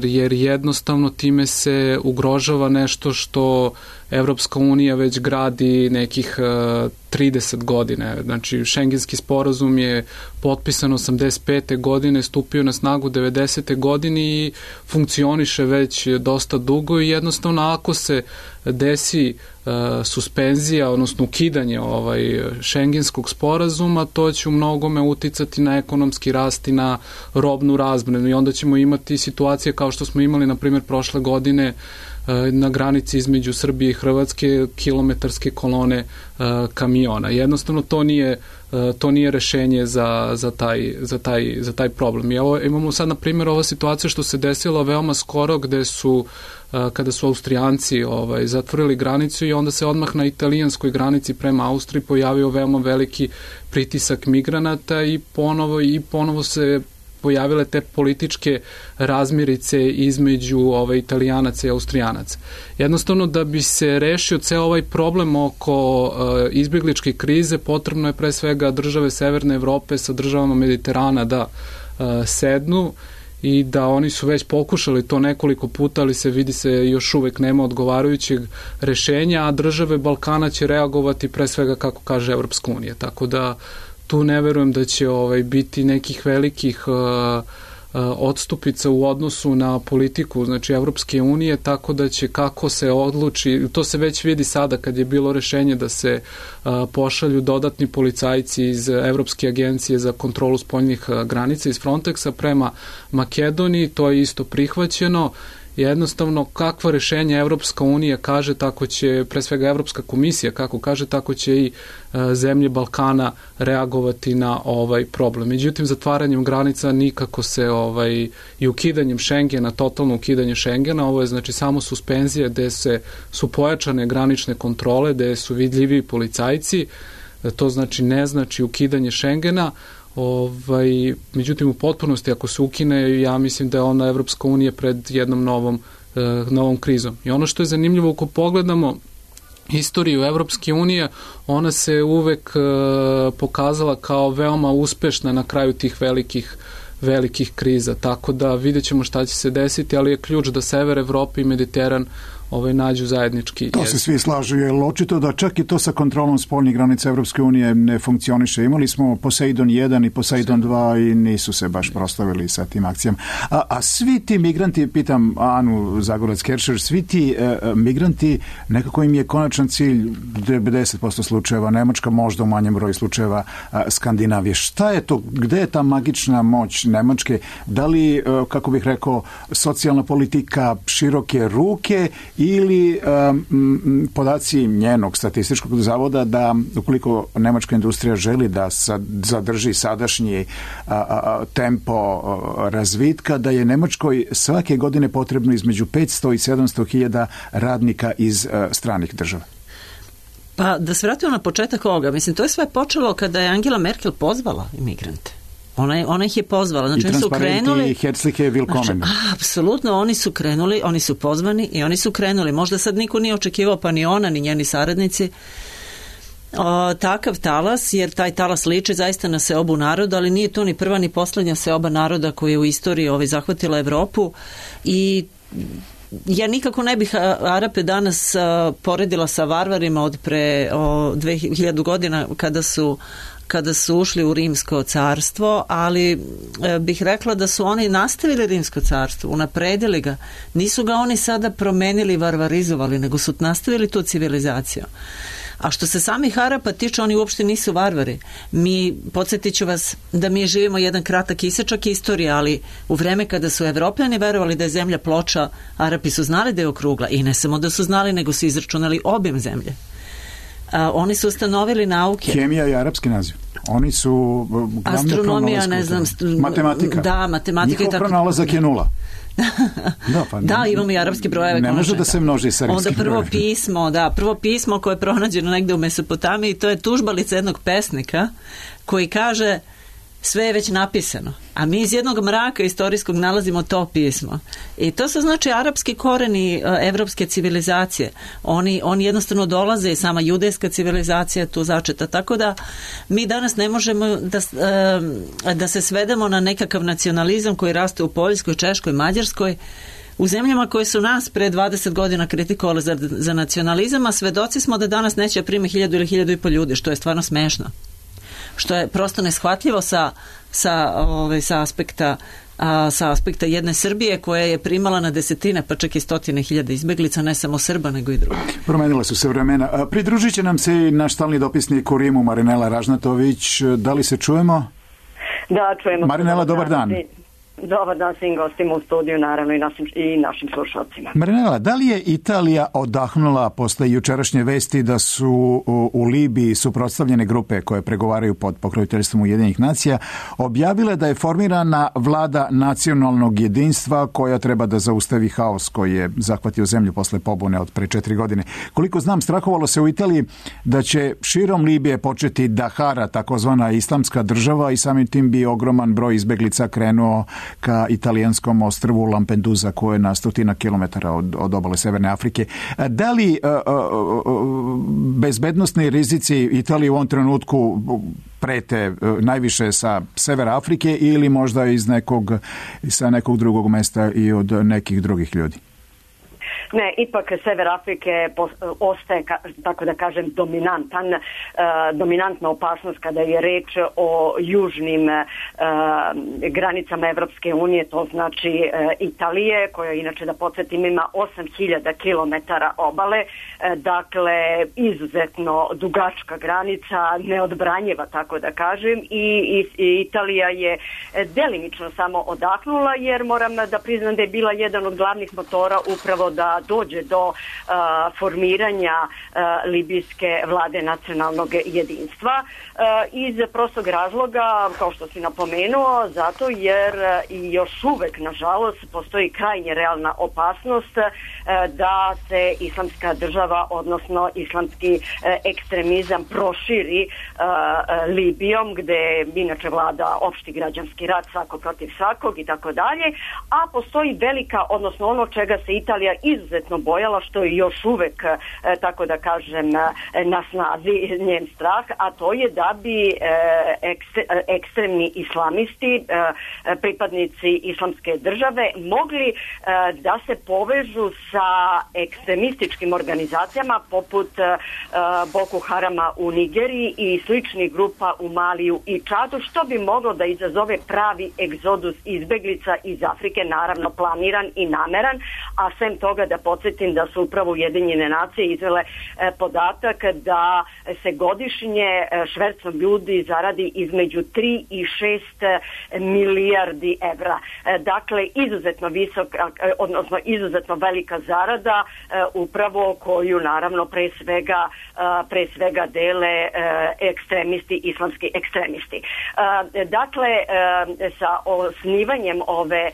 Speaker 5: jer jednostavno time se ugrožava nešto što Evropska unija već gradi nekih 30 godine. Znači, Šengenski sporazum je potpisan 85. godine, stupio na snagu 90. godine i funkcioniše već dosta dugo i jednostavno ako se desi suspenzija, odnosno ukidanje Šengenskog sporazuma, to će u mnogome uticati na ekonomski rast i na robnu razmenu i onda ćemo imati situacije kao što smo imali, na primjer, prošle godine na granici između Srbije i Hrvatske kilometarske kolone kamiona. Jednostavno to nije rešenje za taj problem. I imamo sad, na primjer, ova situacija što se desila veoma skoro gde su kada su Austrijanci zatvorili granicu i onda se odmah na italijanskoj granici prema Austriji pojavio veoma veliki pritisak migranata i ponovo se pojavile te političke razmirice između Italijanaca i Austrijanaca. Jednostavno, da bi se rešio ceo ovaj problem oko izbjegličke krize, potrebno je pre svega države Severne Evrope sa državama Mediterana da sednu i da oni su već pokušali to nekoliko puta, ali vidi se još uvek nema odgovarajućeg rešenja, a države Balkana će reagovati pre svega kako kaže Evropska unija. Tako da tu ne verujem da će biti nekih velikih odstupica u odnosu na politiku, znači Evropske unije, tako da će kako se odluči, to se već vidi sada kad je bilo rešenje da se pošalju dodatni policajci iz Evropske agencije za kontrolu spoljnih granica iz Frontexa prema Makedoniji, to je isto prihvaćeno. Jednostavno, kakva rešenja Evropska unija kaže, tako će, pre svega Evropska komisija kako kaže, tako će i zemlje Balkana reagovati na ovaj problem. Međutim, zatvaranjem granica nikako se i ukidanjem Šengena, totalno ukidanje Šengena, ovo je znači samo suspenzija gde su pojačane granične kontrole, gde su vidljivi policajci, to znači ne znači ukidanje Šengena. Međutim, u potpunosti ako se ukine, ja mislim da je ona Evropska unija pred jednom novom krizom. I ono što je zanimljivo, ako pogledamo istoriju Evropske unije, ona se uvek pokazala kao veoma uspešna na kraju tih velikih kriza, tako da vidjet ćemo šta će se desiti, ali je ključ da Sever Evrope i Mediteran nađu zajednički jezik.
Speaker 3: To se svi slažu, jer očito da čak i to sa kontrolom spoljnih granica Evropske unije ne funkcioniše. Imali smo Poseidon 1 i Poseidon 2 i nisu se baš proslavili sa tim akcijama. A svi ti migranti, pitam Anu Zagorac-Keršer, svi ti migranti, nekako im je konačan cilj 90% slučajeva Nemačka, možda u manjem broju slučajeva Skandinavije. Šta je to? Gde je ta magična moć Nemačke? Da li, kako bih rekao, socijalna politika, široke ruke ili podaci njenog statističkog zavoda da ukoliko nemačka industrija želi da zadrži sadašnji tempo razvitka, da je Nemačkoj svake godine potrebno između 500 i 700 hiljada radnika iz stranih država?
Speaker 2: Pa da se vratimo na početak ovoga, mislim, to je sve počelo kada je Angela Merkel pozvala imigrante. Ona ih je pozvala. Znači, oni su krenuli. I
Speaker 3: herzliche willkommen.
Speaker 2: Znači, apsolutno, oni su krenuli, oni su pozvani i oni su krenuli. Možda sad niko nije očekivao, pa ni ona, ni njeni saradnici, takav talas, jer taj talas liči zaista na seobu naroda, ali nije to ni prva ni poslednja seoba naroda koja je u istoriji zahvatila Evropu i ja nikako ne bih Arape danas poredila sa varvarima od pre 2000 godina kada su ušli u Rimsko carstvo, ali bih rekla da su oni nastavili Rimsko carstvo, unapredili ga. Nisu ga oni sada promenili, varvarizovali, nego su nastavili tu civilizaciju. A što se samih Arapa tiče, oni uopšte nisu varvari. Podsjetit ću vas da mi živimo jedan kratak isečak istorije, ali u vreme kada su Evropljani verovali da je zemlja ploča, Arapi su znali da je okrugla i ne samo da su znali, nego su izračunali objem zemlje. Oni su ustanovili nauke.
Speaker 3: Hemija je arapski naziv. Oni su
Speaker 2: astronomija, ne znam,
Speaker 3: matematika.
Speaker 2: Da, matematika.
Speaker 3: Njihov pronalazak je 0.
Speaker 2: Da, imamo i arapske brojeve.
Speaker 3: Ne može da se množi sa rimskim brojevima.
Speaker 2: Prvo pismo koje je pronađeno negde u Mesopotamiji, to je tužbalica jednog pesnika koji kaže sve je već napisano, a mi iz jednog mraka istorijskog nalazimo to pismo. I to su znači arapski koreni evropske civilizacije. Oni jednostavno dolaze i sama judejska civilizacija tu začeta. Tako da mi danas ne možemo da se svedemo na nekakav nacionalizam koji raste u Poljskoj, Češkoj, Mađarskoj, u zemljama koje su nas pre 20 godina kritikovali za nacionalizam, a svedoci smo da danas neće prime 1000 ili 1500 ljudi, što je stvarno smešno. Što je prosto neshvatljivo sa aspekta jedne Srbije koja je primala na desetine, pa čak i 100.000 izbeglica, ne samo Srba, nego i drugi.
Speaker 3: Promenila su se vremena. Pridružit će nam se i naš stalni dopisnik u Rimu, Marinela Ražnatović. Da li se čujemo?
Speaker 13: Da, čujemo.
Speaker 3: Marinela, dobar dan.
Speaker 13: Dobar dan svim gostima u studiju, naravno i našim slušalcima.
Speaker 3: Marinela, da li je Italija odahnula posle jučerašnje vesti da su u Libiji suprotstavljene grupe koje pregovaraju pod pokroviteljstvom Ujedinjenih nacija objavile da je formirana vlada nacionalnog jedinstva koja treba da zaustavi haos koji je zahvatio zemlju posle pobune od pre 4 godine? Koliko znam, strahovalo se u Italiji da će širom Libije početi da hara takozvana islamska država i samim tim bi ogroman broj izbeglica krenuo ka italijanskom ostrvu Lampedusa koje je na 100 kilometara od obale Severne Afrike. Da li bezbednosni rizici Italije u ovom trenutku prete najviše sa Severa Afrike ili možda sa nekog drugog mesta i od nekih drugih ljudi?
Speaker 13: Ne, ipak Sever Afrike ostaje, tako da kažem, dominantna opasnost kada je reč o južnim granicama Evropske unije, to znači Italije, koja inače, da podsjetim, ima 8000 kilometara obale, dakle izuzetno dugačka granica, neodbranjiva, tako da kažem, i Italija je delimično samo odahnula, jer moram da priznam da je bila jedan od glavnih motora upravo da dođe do formiranja libijske vlade nacionalnog jedinstva iz prostog razloga, kao što si napomenuo, zato jer i još uvek, nažalost, postoji krajnje realna opasnost da se islamska država, odnosno islamski ekstremizam proširi Libijom, gde inače vlada opšti građanski rat, svako protiv svakog i tako dalje, a postoji velika, odnosno ono čega se Italija izuzetno bojala, što je još uvek, tako da kažem, na snazi njen strah, a to je da bi ekstremni islamisti, pripadnici islamske države, mogli da se povežu sa ekstremističkim organizacijama poput Boko Harama u Nigeriji i sličnih grupa u Maliju i Čadu, što bi moglo da izazove pravi egzodus izbeglica iz Afrike, naravno planiran i nameran, a sem toga da podsjetim da su upravo Ujedinjene nacije izvele podatak da se godišnje švercom ljudi zaradi između 3 i 6 milijardi evra. Dakle, izuzetno visok, odnosno izuzetno velika zarada, upravo koju naravno pre svega dele ekstremisti, islamski ekstremisti. Dakle, sa osnivanjem ove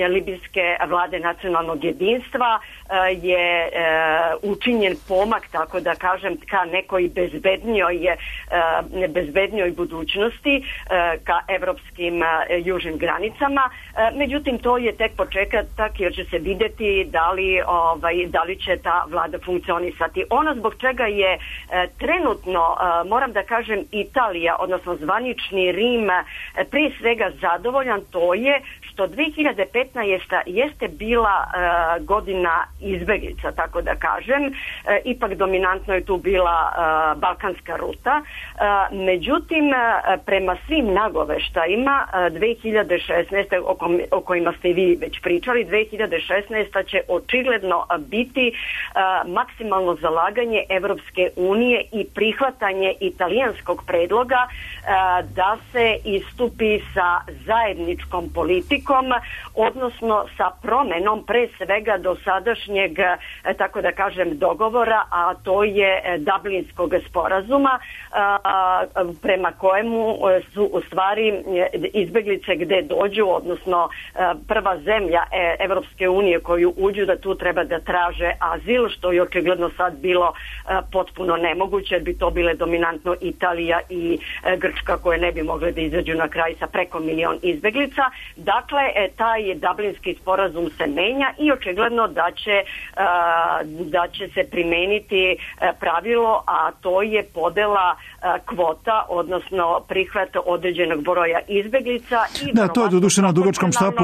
Speaker 13: libijske vlade nacionalnog jedinstva je učinjen pomak, tako da kažem, ka nekoj bezbednijoj budućnosti, ka evropskim južnim granicama. Međutim, to je tek početak, jer će se videti da li će ta vlada funkcionisati. Ono zbog čega je trenutno, moram da kažem, Italija, odnosno zvanični Rim, prije svega zadovoljan, to je što 2015. jeste bila godina izbeglica, tako da kažem. Ipak dominantno je tu bila balkanska ruta. Međutim, prema svim nagoveštajima 2016. o kojima ste vi već pričali, 2016. će očigledno biti maksimalno zalaganje Evropske unije i prihvatanje italijanskog predloga da se istupi sa zajedničkom politikom, odnosno sa promenom pre svega dosadašnjeg, tako da kažem, dogovora, a to je Dublinskog sporazuma, prema kojemu su u stvari izbeglice gde dođu, odnosno prva zemlja Evropske unije koju uđu, da tu treba da traže azil, što je očigledno sad bilo potpuno nemoguće, jer bi to bile dominantno Italija i Grčka, koje ne bi mogle da izađu na kraj sa preko 1 milion izbeglica. Dakle, taj Dublinski sporazum se menja i očigledno da će se primeniti pravilo, a to je podela kvota, odnosno prihvat određenog broja izbeglica.
Speaker 3: Da, to je doduše na dugačkom štapu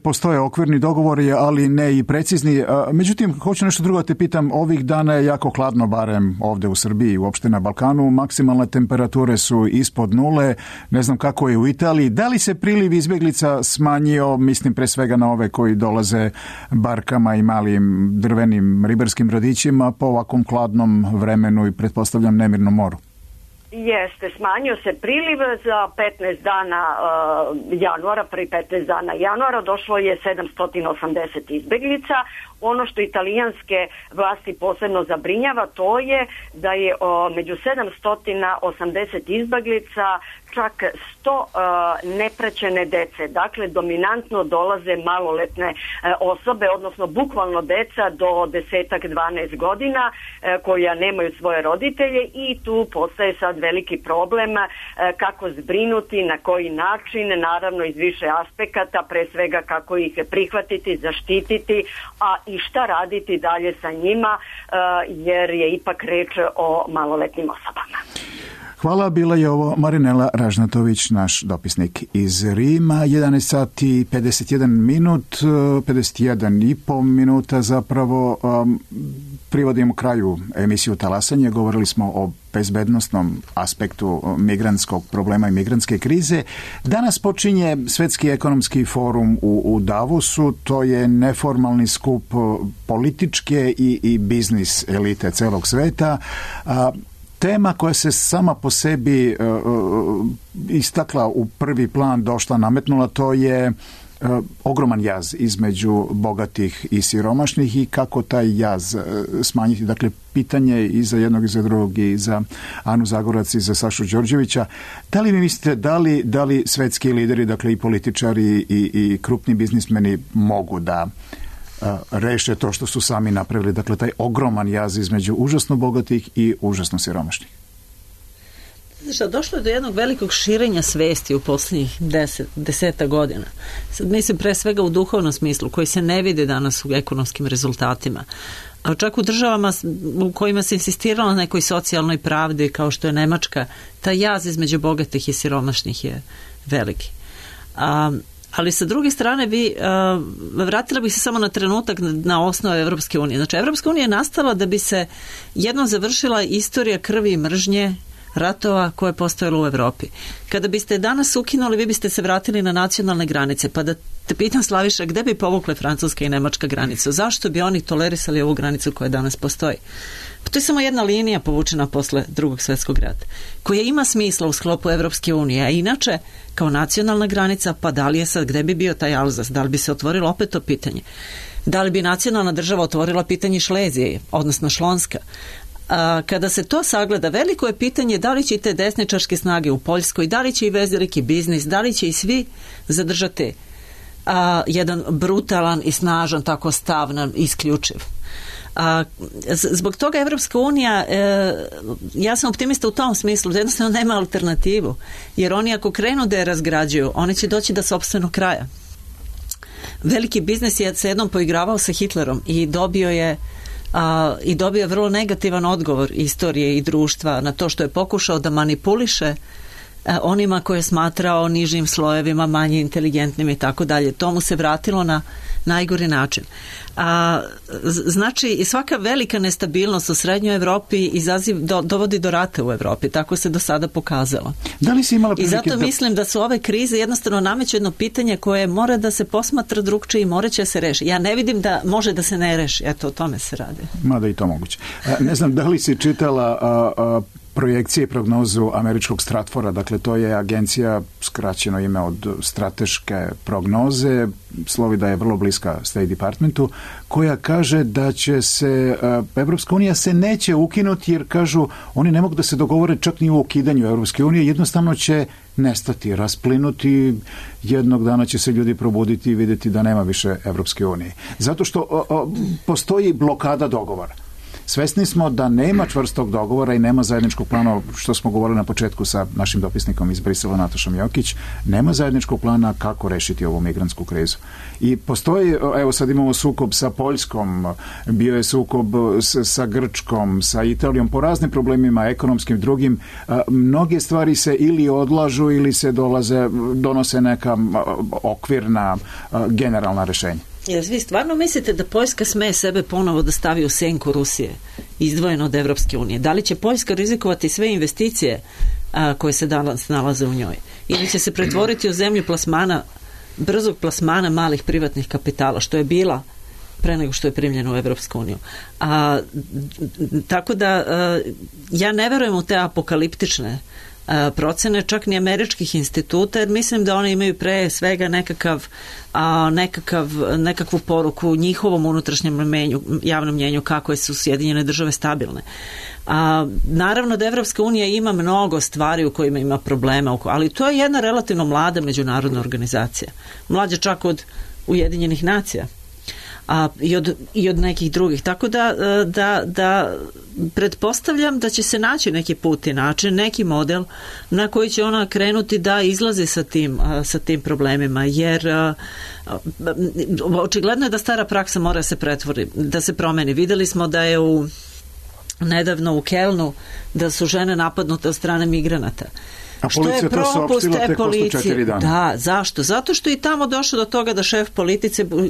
Speaker 3: postoje okvirni dogovori, ali ne i precizni. Međutim, hoću nešto drugo te pitam, ovih dana je jako hladno, barem ovde u Srbiji, uopšte na Balkanu, maksimalne temperature su ispod nule, ne znam kako je u Italiji. Da li se priliv izbeglica smanjio, mislim pre svega na ove koji dolaze barkama i malim drvenim ribarskim brodićima po ovakvom hladnom vremenu i pretpostavljam nemirnom moru?
Speaker 13: Jeste, smanjio se priliv za 15 dana januara, prvi 15 dana januara došlo je 780 izbeglica. Ono što italijanske vlasti posebno zabrinjava, to je da je među 780 izbeglica čak 100 nepraćene dece. Dakle, dominantno dolaze maloletne osobe, odnosno bukvalno deca do 10-12 godina koja nemaju svoje roditelje, i tu postaje sad veliki problem kako zbrinuti, na koji način, naravno iz više aspekata, pre svega kako ih prihvatiti, zaštititi, a i šta raditi dalje sa njima, jer je ipak reč o maloletnim osobama.
Speaker 3: Hvala, bila je ovo Marinela Ražnatović, naš dopisnik iz Rima. 11 sati 51 minut, 51,5 minuta zapravo. Privodimo kraju emisiju Talasanje. Govorili smo o bezbednosnom aspektu migrantskog problema i migrantske krize. Danas počinje Svetski ekonomski forum u Davosu. To je neformalni skup političke i biznis elite celog sveta. Tema koja se sama po sebi istakla u prvi plan, došla, nametnula, to je ogroman jaz između bogatih i siromašnih i kako taj jaz smanjiti. Dakle, pitanje i za jednog i za drugog, i za Anu Zagorac i za Sašu Đorđevića. Da li vi mislite, da li svetski lideri, dakle i političari i krupni biznismeni mogu da reše to što su sami napravili, dakle taj ogroman jaz između užasno bogatih i užasno siromašnih?
Speaker 2: Došlo je do jednog velikog širenja svesti u posljednjih 10 godina. Sad mislim pre svega u duhovnom smislu, koji se ne vide danas u ekonomskim rezultatima. A čak u državama u kojima se insistiralo na nekoj socijalnoj pravdi, kao što je Nemačka, taj jaz između bogatih i siromašnih je veliki. Ali sa druge strane vratila bih se samo na trenutak na osnove Evropske unije. Znači, Evropska unija je nastala da bi se jednom završila istorija krvi i mržnje, ratova koje je postojalo u Evropi. Kada biste danas ukinuli, vi biste se vratili na nacionalne granice. Pa da te pitam, Slaviša, gde bi povukle Francuska i Nemačka granicu? Zašto bi oni tolerisali ovu granicu koja danas postoji? Pa to je samo jedna linija povučena posle Drugog svjetskog rata, koja ima smisla u sklopu Evropske unije, a inače kao nacionalna granica, pa da li je sad, gde bi bio taj Alzas? Da li bi se otvorilo opet to pitanje? Da li bi nacionalna država otvorila pitanje Šlezije, odnosno Šlonska? Kada se to sagleda, veliko je pitanje da li će te desničarske snage u Poljskoj, da li će i veliki biznis, da li će i svi zadržati jedan brutalan i snažan, tako stavnan, isključiv. Zbog toga Evropska unija, ja sam optimista u tom smislu, jednostavno nema alternativu, jer oni ako krenu da je razgrađuju, oni će doći do sopstvenog kraja. Veliki biznis je se jednom poigravao sa Hitlerom i dobio je vrlo negativan odgovor istorije i društva na to što je pokušao da manipuliše onima koje je smatrao nižim slojevima, manje inteligentnim i tako dalje. To mu se vratilo na najgori način. Znači, i svaka velika nestabilnost u srednjoj Evropi dovodi do rata u Evropi. Tako se do sada pokazalo.
Speaker 3: Da li si imala
Speaker 2: I zato mislim da su ove krize jednostavno nameću jedno pitanje koje mora da se posmatra drugčije i mora će se reši. Ja ne vidim da može da se ne reši. Eto, o tome se radi.
Speaker 3: Mada i to moguće. Ne znam, da li si čitala projekcije i prognozu američkog Stratfora, dakle to je agencija, skraćeno ime od strateške prognoze, slovi da je vrlo bliska State Departmentu, koja kaže da će se Evropska unija se neće ukinuti, jer kažu oni ne mogu da se dogovore čak ni u ukidanju Evropske unije, jednostavno će nestati, rasplinuti, jednog dana će se ljudi probuditi i vidjeti da nema više Evropske unije. Zato što postoji blokada dogovora. Svesni smo da nema čvrstog dogovora i nema zajedničkog plana, što smo govorili na početku sa našim dopisnikom iz Brisela, Natašom Jokić, nema zajedničkog plana kako rešiti ovu migrantsku krizu. I postoji, evo sad imamo sukob sa Poljskom, bio je sukob sa Grčkom, sa Italijom, po raznim problemima, ekonomskim, drugim. Mnoge stvari se ili odlažu ili se donose neka okvirna generalna rešenja.
Speaker 2: Jel vi stvarno mislite da Poljska sme sebe ponovo da stavi u senku Rusije, izdvojeno od Evropske unije? Da li će Poljska rizikovati sve investicije koje se danas nalaze u njoj? Ili će se pretvoriti u zemlju plasmana, brzog plasmana malih privatnih kapitala, što je bila pre nego što je primljena u Evropsku uniju? Tako da ja ne verujem u te apokaliptične procene, čak ni američkih instituta, jer mislim da oni imaju pre svega nekakvu poruku njihovom unutrašnjem javnom mnjenju kako su Sjedinjene države stabilne. Naravno da Evropska unija ima mnogo stvari u kojima ima problema, ali to je jedna relativno mlada međunarodna organizacija. Mlađa čak od Ujedinjenih nacija. I od nekih drugih. Tako da pretpostavljam da će se naći neki put i način, neki model na koji će ona krenuti da izlazi sa tim problemima, jer očigledno je da stara praksa mora da se promeni. Videli smo da je nedavno u Kelnu da su žene napadnute od strane migranata.
Speaker 3: A policija to saopštila tek posle 4 dana.
Speaker 2: Da, zašto? Zato što je i tamo došlo do toga da šef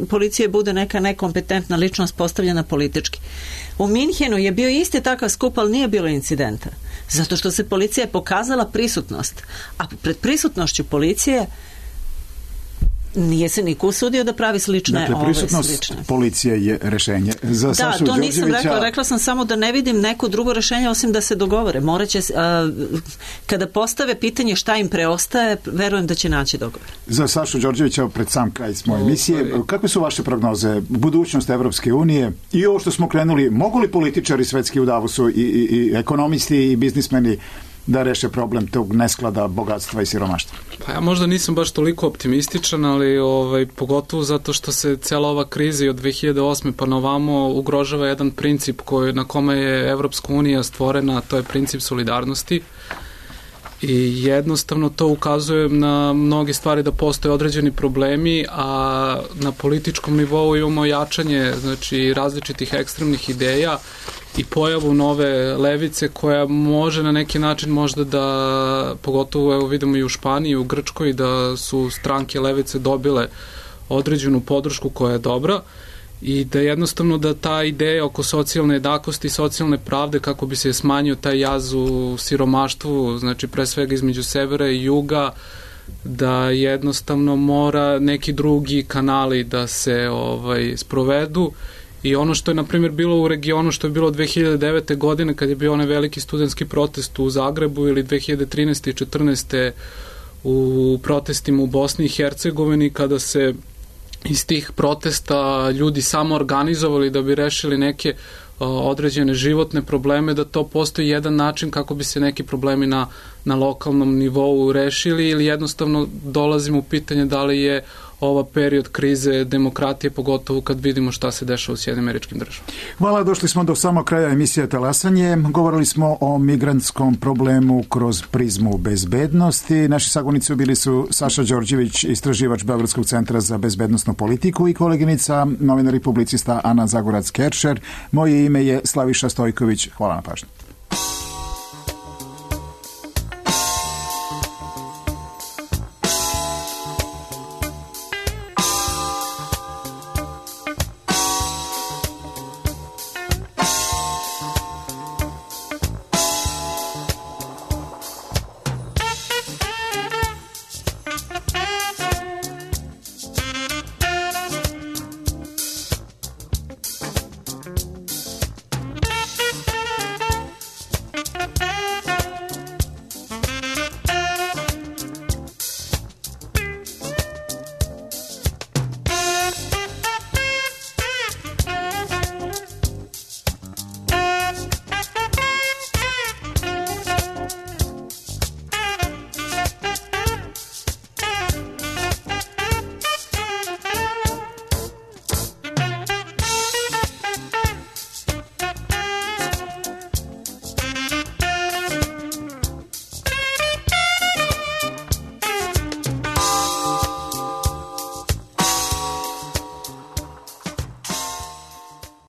Speaker 2: policije bude neka nekompetentna ličnost postavljena politički. U Minhenu je bio isti takav skup, ali nije bilo incidenta. Zato što se policija je pokazala prisutnost. A pred prisutnošću policije nije se niko usudio da pravi slične.
Speaker 3: Dakle, prisutnost policije je rešenje. Za Sašu
Speaker 2: to nisam
Speaker 3: Đorđevića...
Speaker 2: rekla sam samo da ne vidim neko drugo rešenje osim da se dogovore. Moraće, kada postave pitanje šta im preostaje, verujem da će naći dogovor.
Speaker 3: Za Sašu Đorđevića, pred sam kraj moje emisije, kakve su vaše prognoze? Budućnost Evropske unije i ovo što smo krenuli, mogu li političari svetski u Davosu i ekonomisti i biznismeni da reše problem tog nesklada bogatstva i siromaštva?
Speaker 5: Pa ja možda nisam baš toliko optimističan, ali pogotovo zato što se cijela ova kriza i od 2008. pa na ovamo ugrožava jedan princip na kome je Evropska unija stvorena, to je princip solidarnosti. I jednostavno to ukazuje na mnoge stvari da postoje određeni problemi, a na političkom nivou imamo jačanje, znači, različitih ekstremnih ideja i pojavu nove levice koja može na neki način možda da, pogotovo evo vidimo i u Španiji, u Grčkoj, da su stranke levice dobile određenu podršku koja je dobra i da jednostavno da ta ideja oko socijalne jednakosti i socijalne pravde kako bi se smanjio taj jaz u siromaštvu, znači pre svega između severa i juga, da jednostavno mora neki drugi kanali da se sprovedu. I ono što je, na primjer, bilo u regionu, što je bilo 2009. godine kad je bio onaj veliki studentski protest u Zagrebu ili 2013. i 2014. u protestima u Bosni i Hercegovini, kada se iz tih protesta ljudi samo organizovali da bi rešili neke određene životne probleme, da to postoji jedan način kako bi se neki problemi na lokalnom nivou rešili ili jednostavno dolazimo u pitanje da li je ova period krize demokratije, pogotovo kad vidimo šta se dešava u Sjedinim Američkim Državama.
Speaker 3: Hvala, došli smo do samog kraja emisije Talasanje. Govorili smo o migrantskom problemu kroz prizmu bezbednosti. Naši sagovornici bili su Saša Đorđević, istraživač Beogradskog centra za bezbednosnu politiku, i koleginica, novinar i publicista Ana Zagorac-Keršer. Moje ime je Slaviša Stojković. Hvala na pažnju.